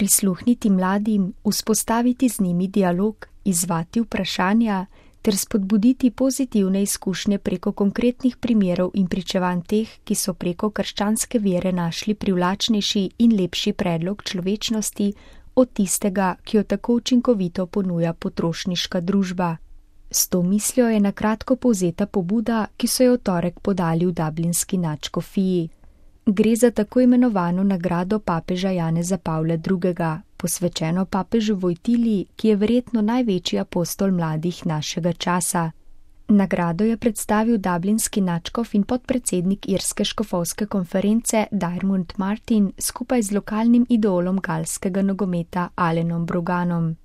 prisluhniti mladim, vzpostaviti z njimi dialog, izzvati vprašanja ter spodbuditi pozitivne izkušnje preko konkretnih primerov in pričevanj teh, ki so preko krščanske vere našli privlačnejši in lepši predlog človečnosti od tistega, ki jo tako učinkovito ponuja potrošniška družba. S to mislijo je na kratko povzeta pobuda, ki so jo v torek podali v dublinski nadškofiji. Gre za tako imenovano nagrado papeža Janeza Pavla II., posvečeno papežu Vojtili, ki je verjetno največji apostol mladih našega časa. Nagrado je predstavil dublinski nadškof in podpredsednik irske škofovske konference Diarmuid Martin skupaj z lokalnim idolom galskega nogometa Alanom Broganom.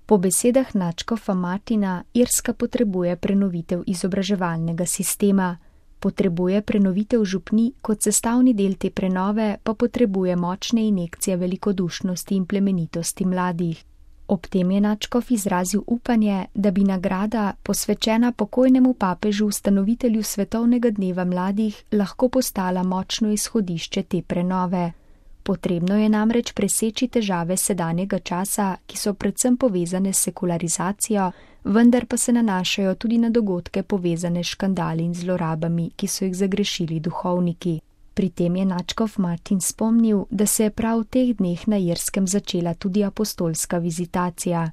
Po besedah nadškofa Martina, Irska potrebuje prenovitev izobraževalnega sistema. Potrebuje prenovitev župnij, kot sestavni del te prenove pa potrebuje močne injekcije velikodušnosti in plemenitosti mladih. Ob tem je nadškof izrazil upanje, da bi nagrada, posvečena pokojnemu papežu ustanovitelju Svetovnega dneva mladih, lahko postala močno izhodišče te prenove. Potrebno je namreč preseči težave sedanjega časa, ki so predvsem povezane s sekularizacijo, vendar pa se nanašajo tudi na dogodke povezane s škandali in zlorabami, ki so jih zagrešili duhovniki. Pri tem je nadškof Martin spomnil, da se je prav v teh dneh na Irskem začela tudi apostolska vizitacija.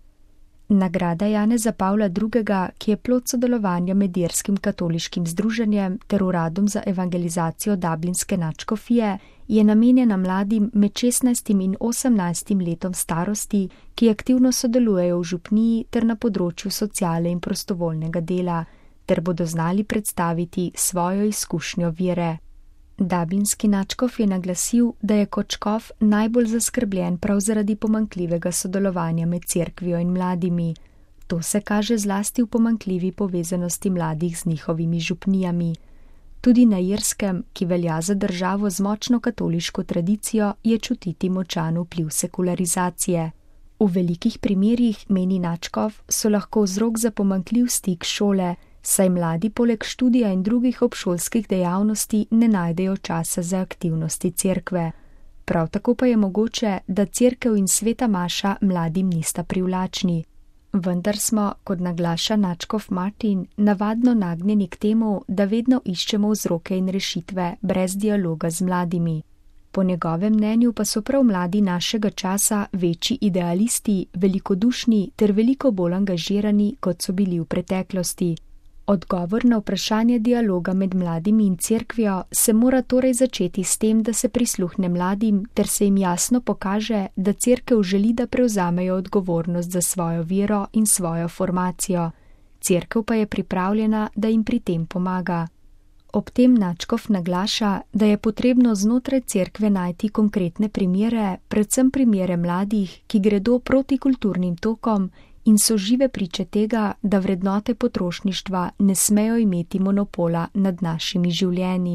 Nagrada Janeza Pavla II., ki je plod sodelovanja med Irskim katoliškim združenjem ter Uradom za evangelizacijo dublinske nadškofije, je namenjena mladim med 16 in 18 letom starosti, ki aktivno sodelujejo v župniji ter na področju sociale in prostovoljnega dela, ter bodo znali predstaviti svojo izkušnjo vere. Dublinski nadškof je naglasil, da je kot škof najbolj zaskrbljen prav zaradi pomanjkljivega sodelovanja med cerkvijo in mladimi. To se kaže zlasti v pomanjkljivi povezanosti mladih z njihovimi župnijami. Tudi na Irskem, ki velja za državo z močno katoliško tradicijo, je čutiti močan vpliv sekularizacije. V velikih primerih, meni nadškof, so lahko vzrok za pomanjkljiv stik šole, saj mladi poleg študija in drugih obšolskih dejavnosti ne najdejo časa za aktivnosti cerkve. Prav tako pa je mogoče, da cerkev in sveta maša mladim nista privlačni. Vendar smo, kot naglaša nadškof Martin, navadno nagnjeni k temu, da vedno iščemo vzroke in rešitve brez dialoga z mladimi. Po njegovem mnenju pa so prav mladi našega časa večji idealisti, velikodušni ter veliko bolj angažirani, kot so bili v preteklosti. Odgovor na vprašanje dialoga med mladimi in cerkvijo se mora torej začeti s tem, da se prisluhne mladim ter se jim jasno pokaže, da cerkev želi, da prevzamejo odgovornost za svojo vero in svojo formacijo. Cerkev pa je pripravljena, da jim pri tem pomaga. Ob tem nadškof naglaša, da je potrebno znotraj cerkve najti konkretne primere, predvsem primere mladih, ki gredo proti kulturnim tokom in so žive priče tega, da vrednote potrošništva ne smejo imeti monopola nad našimi življenji.